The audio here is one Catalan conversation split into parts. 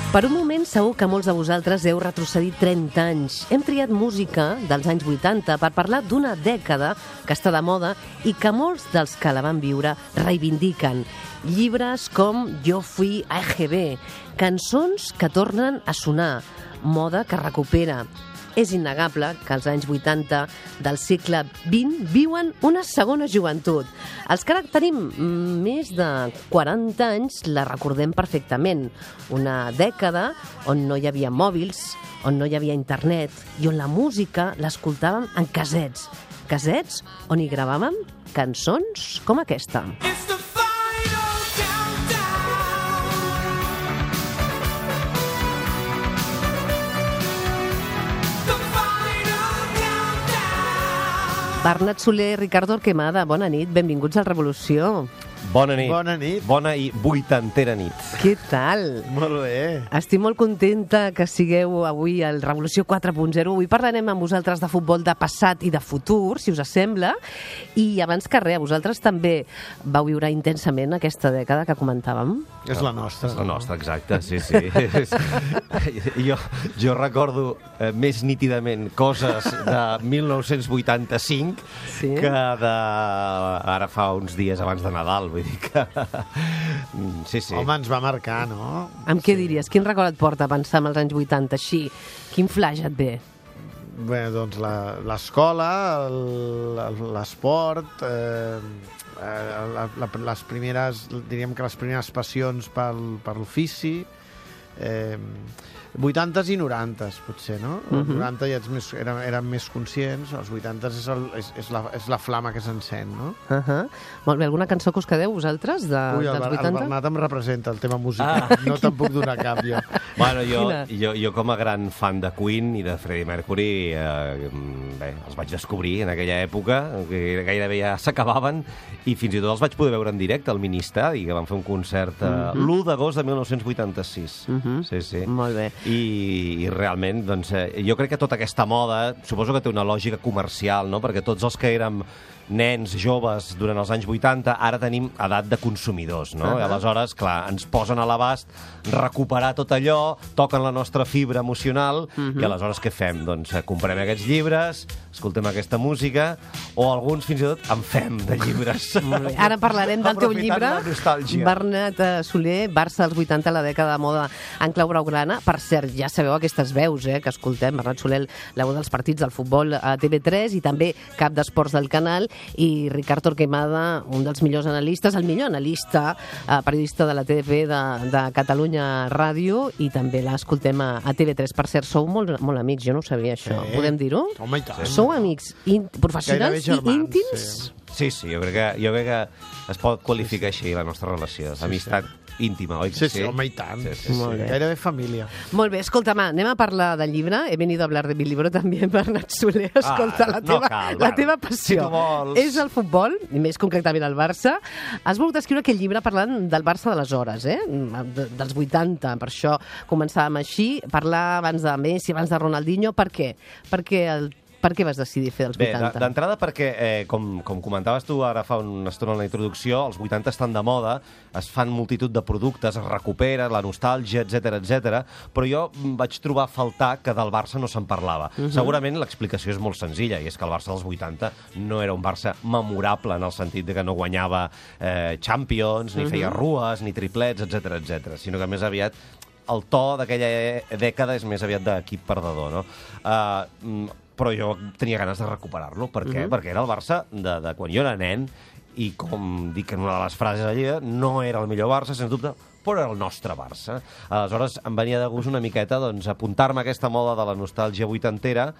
Per un moment segur que molts de vosaltres heu retrocedit 30 anys. Hem triat música dels anys 80 per parlar d'una dècada que està de moda i que molts dels que la van viure reivindiquen. Llibres com Jo fui a EGB, cançons que tornen a sonar, moda que recupera. És innegable que els anys 80 del segle XX viuen una segona joventut. Els que ara tenim més de 40 anys la recordem perfectament. Una dècada on no hi havia mòbils, on no hi havia internet i on la música l'escoltàvem en casets. Casets on hi gravàvem cançons com aquesta. Bernat Soler, Ricardo Torquemada, bona nit, benvinguts al Revolució. Bona nit. Bona nit. Bona i vuitantera nit. Què tal? Molt bé. Estic molt contenta que sigueu avui al Revolució 4.0. Avui parlarem amb vosaltres de futbol de passat i de futur, si us sembla. I abans que res, vosaltres també vau viure intensament aquesta dècada que comentàvem? És la nostra. És la nostra, exacte, sí. Jo recordo més nítidament coses de 1985 que de ara fa uns dies abans de Nadal. Vull dir que... Sí. Home, ens va marcar, no? Amb què diries? Quin record et porta a pensar en els anys 80 així? Quin flash et ve? Bé, doncs l'escola, l'esport, les primeres, diríem que les primeres passions per l'ofici, 80s i 90s, potser, no? Els 90 ja érem més conscients, els 80s és la flama que s'encén, no? Molt bé, alguna cançó que us quedeu, vosaltres, dels 80? El Bernat em representa, el tema musical. No te'n puc donar cap, jo. Bueno, jo com a gran fan de Queen i de Freddie Mercury, bé, els vaig descobrir en aquella època, que gairebé ja s'acabaven, i fins i tot els vaig poder veure en directe al Ministadi, que van fer un concert l'1 d'agost de 1986. Sí. Molt bé. I realment, doncs, jo crec que tota aquesta moda, suposo que té una lògica comercial, no? Perquè tots els que érem nens, joves, durant els anys 80, ara tenim edat de consumidors, no? I aleshores, clar, ens posen a l'abast recuperar tot allò, toquen la nostra fibra emocional, i aleshores què fem? Doncs comprem aquests llibres, escoltem aquesta música, o alguns fins i tot en fem de llibres. Ara parlarem del teu llibre, Bernat Soler, Barça dels 80, la dècada de moda en clau blaugrana. Per cert, ja sabeu aquestes veus que escoltem. Bernat Soler, la veu dels partits del futbol a TV3 i també cap d'esports del canal, i Ricard Torquemada, un dels millors analistes, el millor analista, periodista de la TDP de Catalunya Ràdio, i també l'escoltem a TV3. Per cert, sou molt amics, jo no ho sabia, això. Podem dir-ho? Home, i tant. Sou amics professionals i íntims? Sí, jo crec que es pot qualificar així la nostra relació. Amistat íntima, oi? Sí, home, i tant. Gairebé família. Molt bé, escolta'm, anem a parlar del llibre. He venido a hablar de mi libro també, Bernat Soler. Escolta, la teva passió és el futbol, i més concretament el Barça. Has volgut escriure aquest llibre parlant del Barça d'aleshores, dels 80. Per això començàvem així, parlar abans de Messi, abans de Ronaldinho. Per què? Per què vas decidir fer dels 80? Bé, d'entrada perquè, com comentaves tu ara fa una estona en la introducció, els 80 estan de moda, es fan multitud de productes, es recupera, la nostàlgia, etc. Però jo vaig trobar a faltar que del Barça no se'n parlava. Segurament l'explicació és molt senzilla, i és que el Barça dels 80 no era un Barça memorable en el sentit de que no guanyava Champions, ni feia rues, ni triplets, etc., sinó que més aviat el to d'aquella dècada és més aviat d'equip perdedor, no? Però jo tenia ganes de recuperar-lo. Per què? Perquè era el Barça de quan jo era nen, i com dic en una de les frases allí, no era el millor Barça, sens dubte, però era el nostre Barça. Aleshores em venia de gust una miqueta apuntar-me a aquesta moda de la nostàlgia vuitantera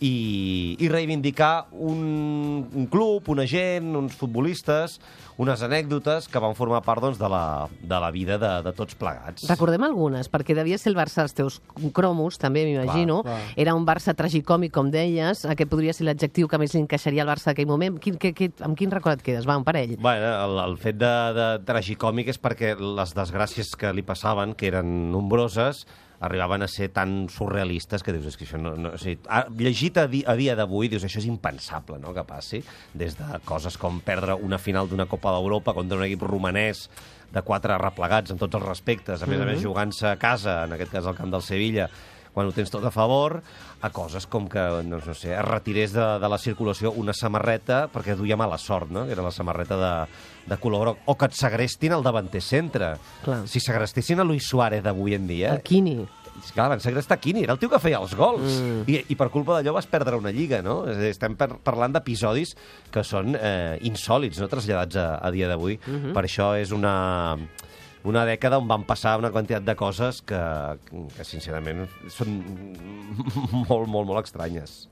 i reivindicar un club, una gent, uns futbolistes, unes anècdotes que van formar part de la vida de tots plegats. Recordem algunes, perquè devia ser el Barça dels teus cromos, també m'imagino. Era un Barça tragicòmic, com deies, que podria ser l'adjectiu que més li encaixaria al Barça d'aquell moment. Amb quin record et quedes? Va, un parell. Bueno, el fet de tragicòmic és perquè les desgràcies que li passaven, que eren nombroses, arribaven a ser tan surrealistes que dius, és que això no... O sigui, llegit a dia d'avui, dius, això és impensable, no?, que passi, des de coses com perdre una final d'una Copa d'Europa contra un equip romanès de 4 replegats en tots els respectes, a més jugant-se a casa, en aquest cas al camp del Sevilla, quan ho tens tot a favor, a coses com que, no sé, es retirés de la circulació una samarreta perquè duia mala sort, no?, que era la samarreta de color groc, o que et segrestin el davanter centre. Clar. Si segrestessin a Luis Suárez d'avui en dia... El Quini. Clar, van segrestar Quini, era el tio que feia els gols. I per culpa d'allò vas perdre una lliga, no? És a dir, estem parlant d'episodis que són insòlits, no?, traslladats a dia d'avui. Per això és una dècada on van passar una quantitat de coses que sincerament, són molt, molt, molt estranyes.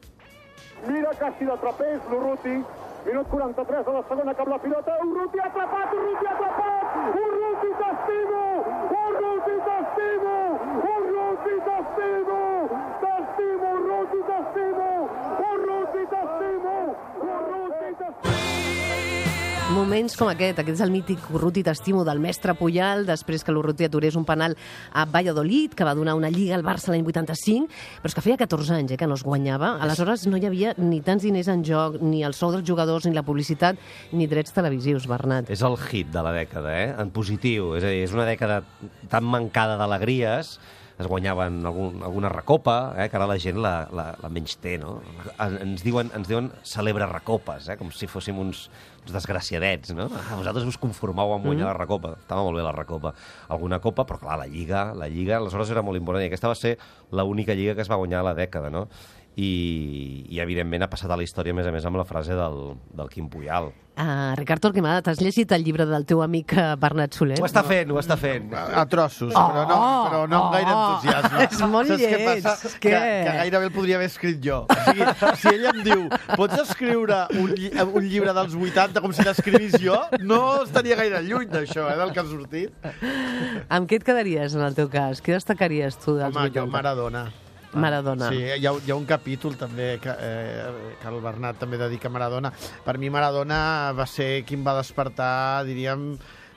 Mira quasi de trapez, l'Urruti. Minut 43 de la segona, cap la pilota. Urruti atrapat, Urruti atrapat! Urruti t'estimo! Urruti t'estimo! Urruti t'estimo! T'estimo, Urruti t'estimo! Urruti t'estimo! Urruti t'estimo! Moments com aquest és el mític Urruti t'estimo del mestre Puyal, després que l'Urruti aturés un penal a Valladolid, que va donar una lliga al Barça l'any 85, però és que feia 14 anys que no es guanyava. Aleshores no hi havia ni tants diners en joc, ni el sou dels jugadors, ni la publicitat, ni drets televisius, Bernat. És el hit de la dècada, en positiu. És a dir, és una dècada tan mancada d'alegries, es guanyaven alguna recopa, que ara la gent la menys té, no? Ens diuen celebra recopes, com si fóssim uns desgraciadets, no? Vosaltres us conformau amb guanyar la recopa. Estava molt bé la recopa. Alguna copa, però clar, la Lliga, aleshores era molt important, i aquesta va ser l'única Lliga que es va guanyar a la dècada, no? I evidentment ha passat a la història, a més, amb la frase del Quim Puyal. Ricard Torquemada, t'has llegit el llibre del teu amic Bernat Soler? Ho està fent. A trossos, però no amb gaire entusiasme. És molt lleig. Que gairebé el podria haver escrit jo. O sigui, si ell em diu, pots escriure un llibre dels 80 com si l'escrivís jo, no estaria gaire lluny d'això, del que ha sortit. Amb què et quedaries, en el teu cas? Què destacaries tu dels 80? Jo Maradona. Sí, hi ha un capítol també que el Bernat també dedica a Maradona. Per mi Maradona va ser qui em va despertar, diríem,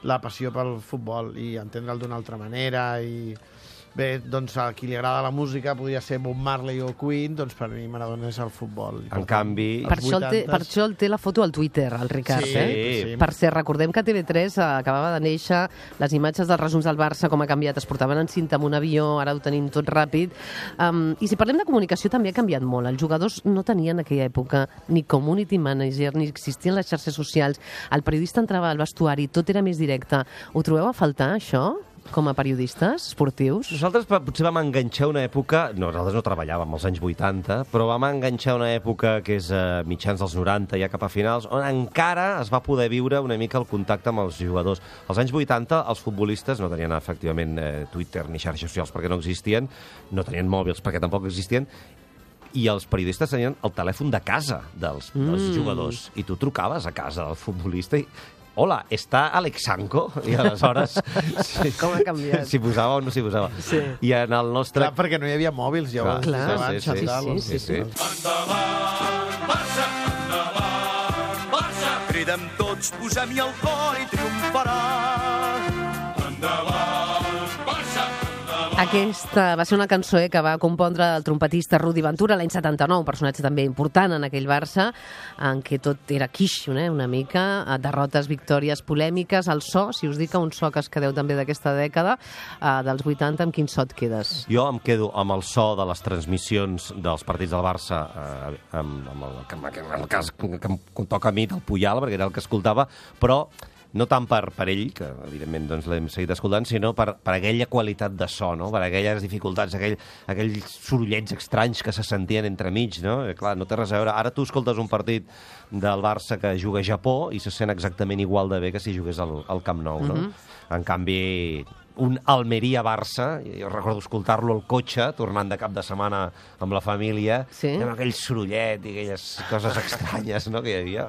la passió pel futbol i entendre'l d'una altra manera. I bé, doncs a qui li agrada la música podria ser Bob Marley o Queen, doncs per mi Maradona és el futbol. En canvi... Per això el té la foto al Twitter, el Ricard, sí. Per cert, recordem que TV3 acabava de néixer, les imatges dels resums del Barça, com ha canviat, es portaven en cinta amb un avió, ara ho tenim tot ràpid. I si parlem de comunicació, també ha canviat molt. Els jugadors no tenien en aquella època ni community manager, ni existien les xarxes socials. El periodista entrava al vestuari, tot era més directe. Ho trobeu a faltar, això? Com a periodistes esportius? Nosaltres potser vam enganxar una època... No, nosaltres no treballàvem als anys 80, però vam enganxar una època que és mitjans dels 90, ja cap a finals, on encara es va poder viure una mica el contacte amb els jugadors. Als anys 80, els futbolistes no tenien efectivament Twitter ni xarxes socials perquè no existien, no tenien mòbils perquè tampoc existien, i els periodistes tenien el telèfon de casa dels jugadors. I tu trucaves a casa del futbolista i... Hola, ¿está Alexanco? I aleshores... Com ha canviat. Si posava o no si posava. Sí. I en el nostre... Clar, perquè no hi havia mòbils, ja ho has dit abans. Sí. Endavant, Barça, endavant, Barça. Cridem tots, posem-hi el cor i triomfarà. Endavant, Barça. Aquesta va ser una cançó que va compondre el trompetista Rudi Ventura l'any 79, un personatge també important en aquell Barça, en què tot era quiche, una mica, derrotes, victòries, polèmiques, el so, si us dic un so que es quedeu també d'aquesta dècada, dels 80, amb quin so et quedes? Jo em quedo amb el so de les transmissions dels partits del Barça, amb el cas que em toca a mi, del Puyal, perquè era el que escoltava, però no tant per ell, que evidentment doncs, l'hem seguit escoltant, sinó per aquella qualitat de so, no? Per aquelles dificultats, aquells sorollets estranys que se sentien entremig, no? Clar, no té res a veure. Ara tu escoltes un partit del Barça que juga a Japó i se sent exactament igual de bé que si jugués al Camp Nou, no? En canvi, un Almeria-Barça, jo recordo escoltar-lo al cotxe, tornant de cap de setmana amb la família, amb aquell sorollet i aquelles coses estranyes, no?, que hi havia.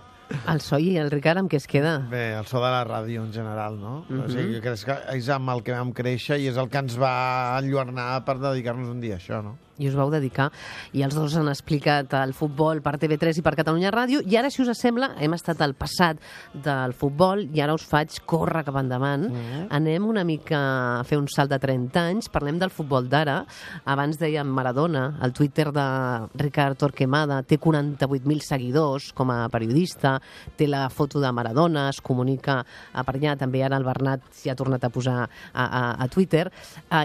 El so i el Ricard, amb què es queda? Bé, el so de la ràdio en general, no? O sigui, jo crec que és amb el que vam créixer i és el que ens va enlluernar per dedicar-nos un dia a això, no? i us vau dedicar, i els dos han explicat el futbol per TV3 i per Catalunya Ràdio, i ara, si us sembla, hem estat al passat del futbol i ara us faig córrer cap endavant. Anem una mica a fer un salt de 30 anys, parlem del futbol d'ara. Abans dèiem Maradona, el Twitter de Ricard Torquemada té 48.000 seguidors com a periodista, té la foto de Maradona, es comunica per allà, també ara el Bernat s'hi ha tornat a posar a Twitter.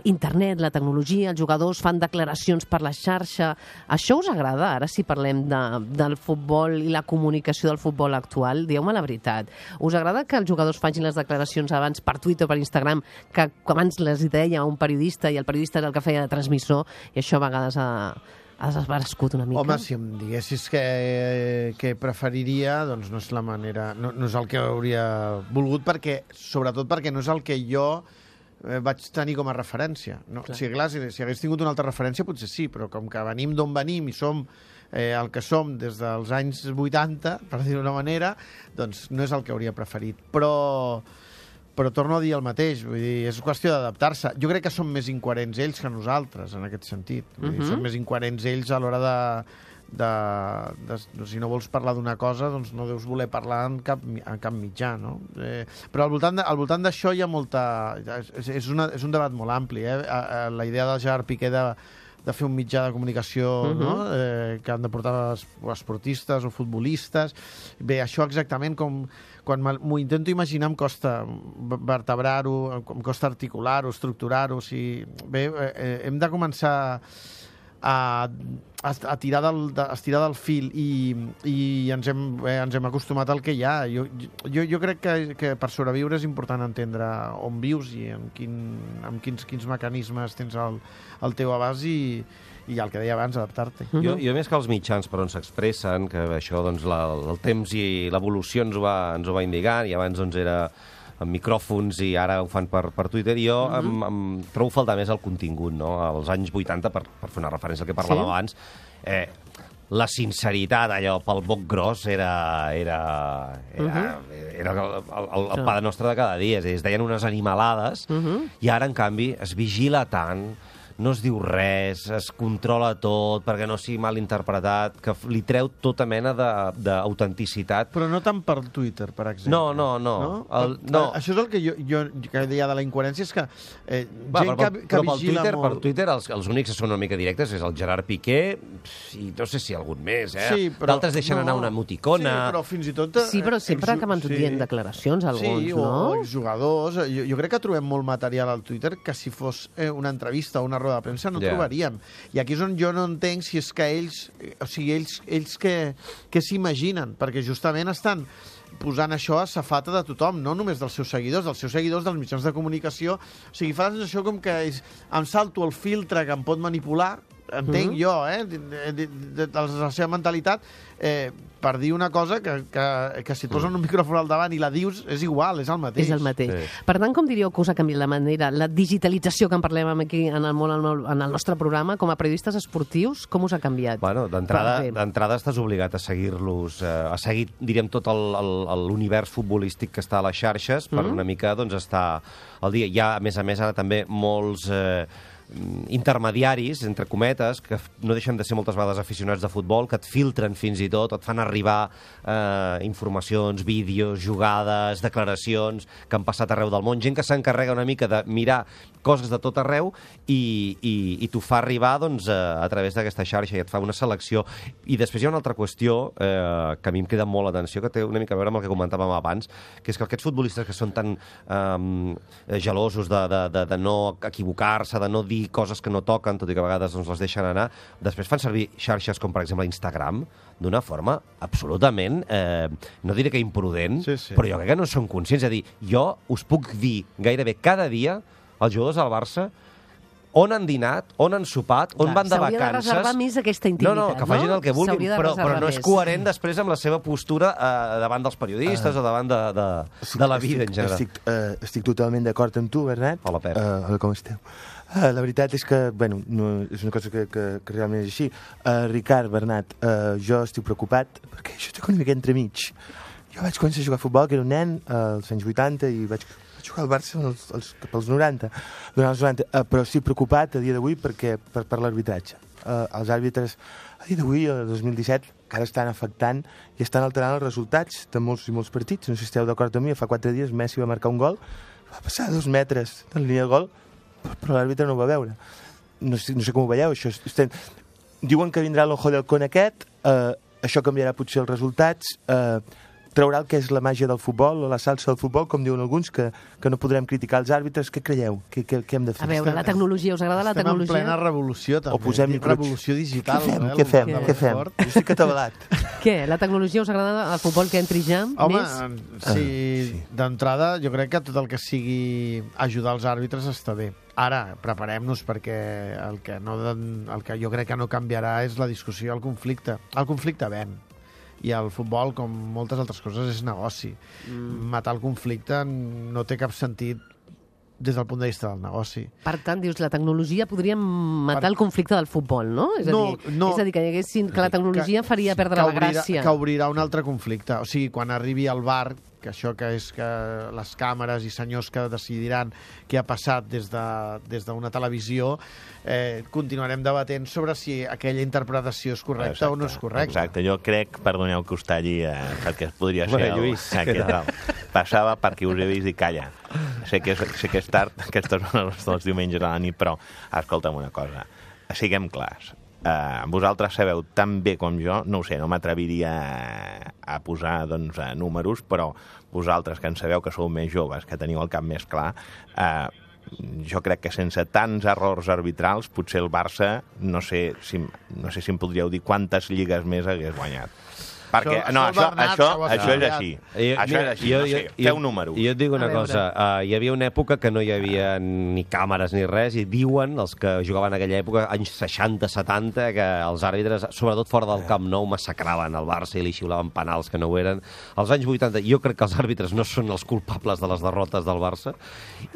Internet, la tecnologia, els jugadors fan declaracions per la xarxa. Això us agrada, ara, si parlem del futbol i la comunicació del futbol actual? Dieu-me la veritat. Us agrada que els jugadors facin les declaracions abans per Twitter o per Instagram, que abans les deia un periodista i el periodista era el que feia de transmissor, i això a vegades has desbarescut una mica? Home, si em diguessis que preferiria, doncs no és la manera, no és el que hauria volgut, sobretot perquè no és el que jo vaig tenir com a referència. No? Si hagués tingut una altra referència, potser sí, però com que venim d'on venim i som el que som des dels anys 80, per dir-ho d'una manera, doncs no és el que hauria preferit. Però torno a dir el mateix, vull dir, és qüestió d'adaptar-se. Jo crec que són més incoherents ells que nosaltres, en aquest sentit. Vull dir, són més incoherents ells a l'hora si no vols parlar d'una cosa, doncs no deus voler parlar en cap mitjà, no? Però al voltant d'això hi ha molta... És un debat molt ampli, la idea del Gerard Piqué de fer un mitjà de comunicació no? Que han de portar esportistes o futbolistes. Bé, això exactament quan m'ho intento imaginar em costa vertebrar-ho, em costa articular-ho, estructurar-ho. Bé, hem de començar a tirar del fil i ens hem acostumat al que hi ha. Jo crec que per sobreviure és important entendre on vius i amb quins mecanismes tens al teu abast i el que deia abans, adaptar-te. Jo més que els mitjans per on s'expressen, que això doncs, el temps i l'evolució ens ho va indicant, i abans doncs, era amb micròfons i ara ho fan per Twitter, i jo em trobo faltar més el contingut, no? Als anys 80, per fer una referència al que parlàvem abans, la sinceritat, allò, pel boc gros, era el pa nostre de cada dia. Es deien unes animalades, i ara, en canvi, es vigila tant, no es diu res, es controla tot perquè no sigui mal interpretat, que li treu tota mena d'autenticitat. Però no tant per Twitter, per exemple. No. Això és el que jo deia de la incoherència, és que però per Twitter els únics que són una mica directes és el Gerard Piqué i no sé si algun més, Sí, d'altres deixen anar una emoticona. Sí, però fins i tot... Sí, però sempre acaben dient declaracions, alguns, no? Sí, o jugadors. Jo crec que trobem molt material al Twitter que si fos una entrevista o una roda de premsa no trobaríem. I aquí és on jo no entenc si és que ells què s'imaginen, perquè justament estan posant això a safata de tothom, no només dels seus seguidors, dels mitjans de comunicació. O sigui, fa la sensació com que em salto el filtre que em pot manipular, entenc jo, de la seva mentalitat, per dir una cosa que si et posen un micròfon al davant i la dius, és igual, és el mateix. És el mateix. Sí. Per tant, com diríeu que us ha canviat la manera, la digitalització que en parlem aquí en el nostre programa, com a periodistes esportius, com us ha canviat? Bueno, d'entrada estàs obligat a seguir-los, a seguir, diríem, tot l'univers futbolístic que està a les xarxes per una mica doncs, estar al dia. Hi ha, a més, ara també molts intermediaris, entre cometes, que no deixen de ser moltes vegades aficionats de futbol, que et filtren fins i tot, et fan arribar informacions, vídeos, jugades, declaracions que han passat arreu del món, gent que s'encarrega una mica de mirar coses de tot arreu i t'ho fa arribar doncs, a través d'aquesta xarxa i et fa una selecció. I després hi ha una altra qüestió que a mi em queda molt l'atenció, que té una mica a veure amb el que comentàvem abans, que és que aquests futbolistes que són tan gelosos de no equivocar-se, de no dir coses que no toquen, tot i que a vegades doncs, les deixen anar, després fan servir xarxes com, per exemple, Instagram, d'una forma absolutament, no diré que imprudent, però jo crec que no són conscients. És a dir, jo us puc dir gairebé cada dia els jugadors del Barça on han dinat, on han sopat, on van de vacances... S'hauria de reservar més aquesta intimitat, no? Que facin el que vulguin, però no és coherent després amb la seva postura davant dels periodistes o davant de la vida en general. Estic totalment d'acord amb tu, Bernat. Hola, Pep. Hola, com esteu? La veritat és que, bueno, és una cosa que realment és així. Ricard, Bernat, jo estic preocupat perquè jo estic una mica entremig. Jo vaig començar a jugar a futbol, que era un nen, als anys 80, i vaig jugar al Barça cap als 90, durant els 90, però estic preocupat a dia d'avui per l'arbitratge. els àrbitres a dia d'avui, el 2017, encara estan afectant i estan alterant els resultats de molts i molts partits. No sé si esteu d'acord amb mi, fa 4 dies Messi va marcar un gol, va passar 2 metres de la línia de gol, però l'àrbitre no ho va veure. No sé com ho veieu, això. Diuen que vindrà l'ojo del con aquest, això canviarà potser els resultats, traurà el que és la màgia del futbol o la salsa del futbol, com diuen alguns, que no podrem criticar els àrbitres. Què creieu? Què hem de fer? A veure, la tecnologia, us agrada la tecnologia? Estem en plena revolució, també. O posem revolució digital. Què fem? Jo estic atabalat. Què? La tecnologia us agrada el futbol que entri ja? Home, sí. D'entrada, jo crec que tot el que sigui ajudar els àrbitres està bé. Ara, preparem-nos perquè el que jo crec que no canviarà és la discussió, el conflicte. El conflicte ven. I el futbol, com moltes altres coses, és negoci. Matar el conflicte no té cap sentit des del punt de vista del negoci. Per tant, dius, la tecnologia podria matar el conflicte del futbol, no? És a dir, que la tecnologia faria perdre la gràcia. Que obrirà un altre conflicte. O sigui, quan arribi al VAR, que això que és que les càmeres i senyors que decidiran què ha passat des d'una televisió, continuarem debatent sobre si aquella interpretació és correcta o no és correcta. Exacte, jo crec, perdoneu que us talli, perquè podria ser Lluís, passava perquè us he vist i calla. Sé que és tard, aquestes són els diumenges a la nit, però escolta'm una cosa, siguem clars. Vosaltres sabeu tan bé com jo, no ho sé, no m'atreviria a posar números, però vosaltres que en sabeu que sou més joves, que teniu el cap més clar, jo crec que sense tants errors arbitrals potser el Barça no sé si em podríeu dir quantes lligues més hagués guanyat. Perquè, això és així. Això és així, no sé, feu números. Jo et dic una cosa, hi havia una època que no hi havia ni càmeres ni res, i diuen, els que jugaven en aquella època, anys 60-70, que els àrbitres, sobretot fora del Camp Nou, massacraven el Barça i li xiulaven penals que no ho eren. Als anys 80, jo crec que els àrbitres no són els culpables de les derrotes del Barça,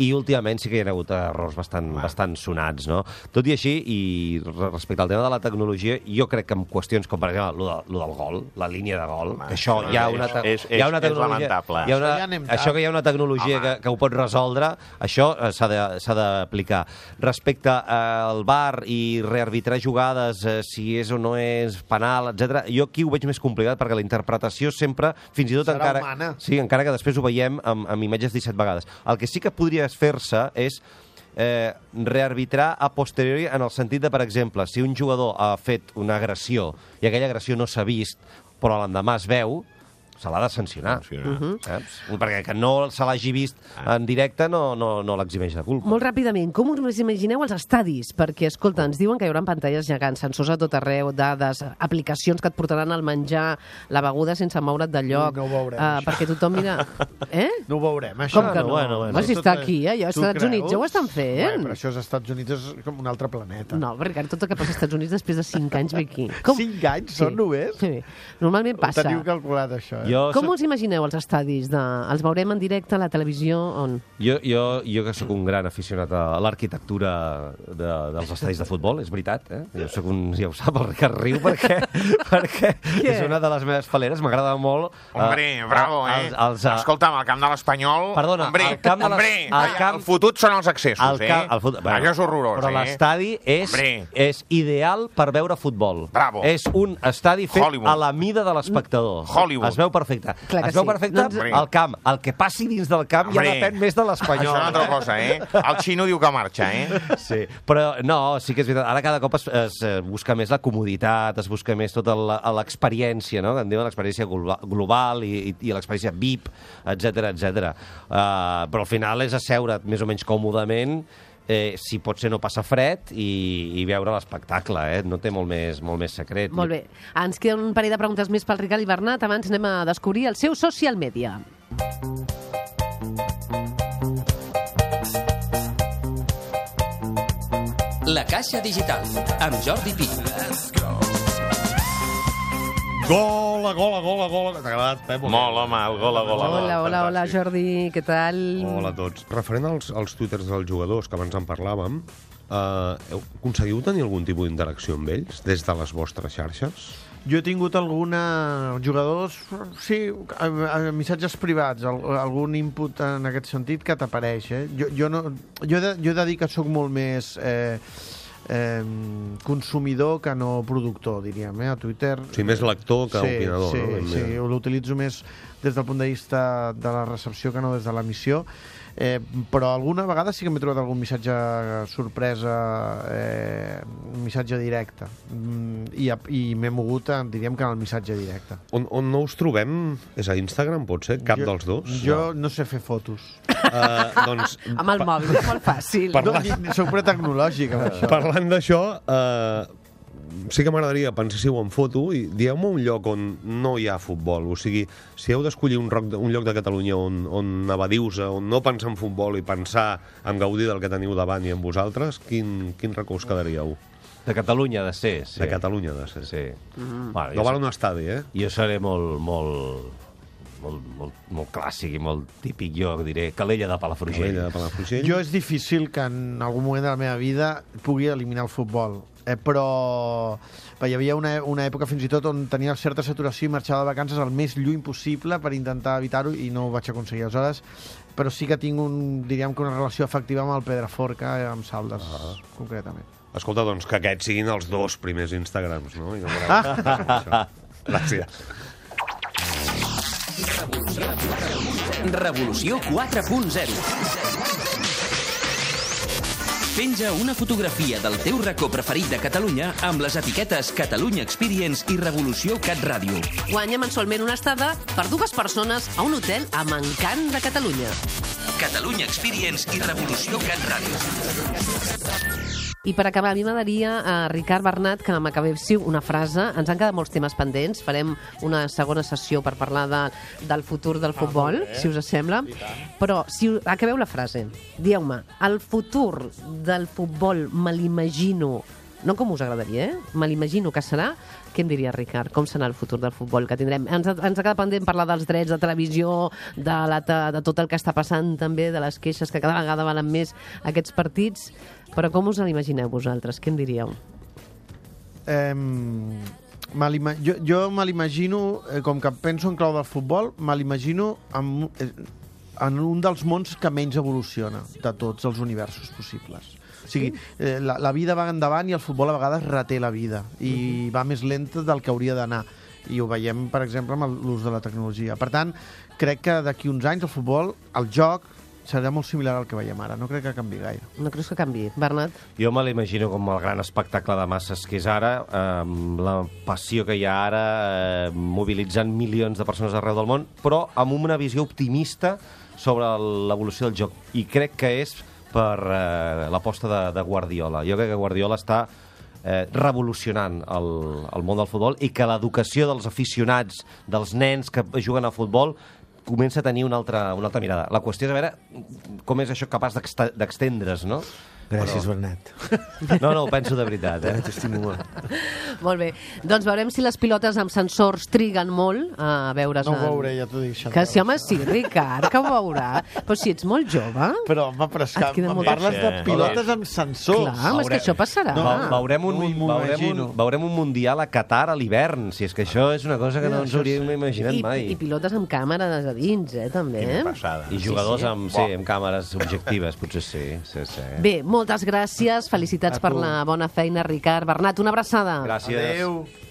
i últimament sí que hi ha hagut errors bastant sonats, no? Tot i així, i respecte al tema de la tecnologia, jo crec que en qüestions com, per exemple, lo del gol, la línia de gol, això hi ha una tecnologia, això que hi ha una tecnologia que ho pot resoldre, això s'ha d'aplicar. Respecte al VAR i rearbitrar jugades, si és o no és penal, etc. Jo aquí ho veig més complicat, perquè la interpretació sempre, fins i tot encara que després ho veiem amb imatges 17 vegades. El que sí que podria fer-se és rearbitrar a posteriori, en el sentit de, per exemple, si un jugador ha fet una agressió i aquella agressió no s'ha vist, però l'endemà es veu, se l'ha de sancionar. Saps? Perquè que no se l'hagi vist en directe no l'eximeix de culpa. Molt ràpidament, com us imagineu els estadis? Perquè, escolta, ens diuen que hi haurà pantalles gegants, sensors a tot arreu, dades, aplicacions que et portaran el menjar, la beguda sense moure't de lloc. No ho veurem, perquè tothom mira... No ho veurem, això. Com que no? Bueno, si està aquí, als Estats Units ja ho estan fent. Però això als Estats Units és com un altre planeta. No, perquè tot el que passa als Estats Units després de 5 anys ve aquí. 5 anys són només? Sí, normalment passa. Ho teniu calculat, això, Com us imagineu els estadis? Els veurem en directe a la televisió? On? Jo que sóc un gran aficionat a l'arquitectura dels estadis de futbol, és veritat, Jo sóc ja ho sap, el Ricard riu, perquè és una de les meves faleres, m'agrada molt... Hombre, bravo, Escolta'm, el camp de l'Espanyol... Perdona, el fotut són els accessos, Allò és horrorós, Però l'estadi és ideal per veure futbol. Bravo. És un estadi fet a la mida de l'espectador. Hollywood. Es veu perfecte. Es veu perfecte al camp. El que passi dins del camp ja depèn més de l'Espanyol. Això és una altra cosa, El xino diu que marxa, Sí, però no, sí que és veritat. Ara cada cop es busca més la comoditat, es busca més tota l'experiència, no? Que en diuen l'experiència global i l'experiència VIP, etc. Però al final és asseure't més o menys còmodament, si pot ser no passar fred i veure l'espectacle, no té molt més secret. Molt bé. Ens queda un parell de preguntes més pel Ricard i Bernat. Abans anem a descobrir el seu social media. La Caixa Digital, amb Jordi Pi. Gola. T'ha agradat, Pep? Molt, home, el gola. Hola, Jordi, què tal? Hola a tots. Referent als twitters dels jugadors, que abans en parlàvem, aconseguiu tenir algun tipus d'interacció amb ells des de les vostres xarxes? Jo he tingut jugadors, sí, missatges privats, algun input en aquest sentit que t'apareix, Jo he de dir que sóc molt més consumidor que no productor, diríem, a Twitter. Sí, més lector que opinador, no? Sí, l'utilitzo més des del punt de vista de la recepció que no des de l'emissió. Però alguna vegada sí que m'he trobat algun missatge sorpresa, un missatge directe, i m'he mogut, diríem que en el missatge directe. On no us trobem és a Instagram, pot ser? Cap dels dos? Jo no sé fer fotos. Doncs, amb el mòbil, és molt fàcil. Soc pretecnològic, amb això. Parlant d'això, sí que m'agradaria pensar-hi en foto i dieu-me un lloc on no hi ha futbol. O sigui, si heu d'escollir un lloc de Catalunya on evadiu-se, on no pensar en futbol i pensar en gaudir del que teniu davant i en vosaltres, quin racó us quedaríeu? De Catalunya ha de ser, sí. De Catalunya ha de ser. Sí. Bueno, no val un estadi, Jo seré molt clàssic i molt típic, jo diré Calella de Palafrugell. Jo és difícil que en algun moment de la meva vida pugui eliminar el futbol. Però hi havia una època fins i tot on tenia certa saturació i marxava de vacances el més lluny possible per intentar evitar-ho i no ho vaig aconseguir. Aleshores, però sí que tinc diríem que una relació afectiva amb el Pedraforca, amb Saldes, concretament. Escolta, doncs que aquests siguin els 2 primers Instagrams, no? Gràcies. Revolució 4.0. Penja una fotografia del teu racó preferit de Catalunya amb les etiquetes Catalunya Experience i Revolució Cat Ràdio. Guanya mensualment una estada per 2 persones a un hotel amb encant de Catalunya. Catalunya Experience i Revolució Cat Ràdio. I per acabar, a mi m'agradaria, Ricard, Bernat, que m'acabéssiu una frase. Ens han quedat molts temes pendents. Farem una segona sessió per parlar del futur del futbol, si us sembla. Però si acabeu la frase, dieu-me, el futur del futbol me l'imagino, no com us agradaria, me l'imagino que serà. Què em diria, Ricard? Com serà el futur del futbol que tindrem? Ens ha quedat pendent parlar dels drets de televisió, de tot el que està passant també, de les queixes que cada vegada valen més aquests partits. Però com us l'imagineu vosaltres? Què em diríeu? Jo me l'imagino, com que penso en clau del futbol, me l'imagino en un dels mons que menys evoluciona de tots els universos possibles. O sigui, la vida va endavant i el futbol a vegades reté la vida i va més lenta del que hauria d'anar. I ho veiem, per exemple, amb l'ús de la tecnologia. Per tant, crec que d'aquí uns anys el futbol, el joc, serà molt similar al que veiem ara. No crec que canvi gaire. No creus que canvi, Bernat? Jo me l'imagino com el gran espectacle de masses que és ara, la passió que hi ha ara, mobilitzant milions de persones arreu del món, però amb una visió optimista sobre l'evolució del joc. I crec que és per l'aposta de Guardiola. Jo crec que Guardiola està revolucionant el món del futbol i que l'educació dels aficionats, dels nens que juguen a futbol, comença a tenir una altra mirada. La qüestió és a veure com és això capaç d'extendre's, no? Gràcies, Bernat. No, ho penso de veritat, T'estimo molt. Molt bé. Doncs veurem si les pilotes amb sensors triguen molt a veure's... No ho veuré, ja t'ho dic. Que sí, home, sí, Ricard, que ho veurà. Però si ets molt jove... Però, home, és que em parles de pilotes amb sensors. Clar, és que això passarà. Veurem un mundial a Qatar a l'hivern, si és que això és una cosa que no ens hauríem imaginat mai. I pilotes amb càmeres a dins, també. I jugadors amb càmeres objectives, potser sí. Bé, moltes gràcies, felicitats per la bona feina, Ricard. Bernat, una abraçada. Gràcies. Adéu.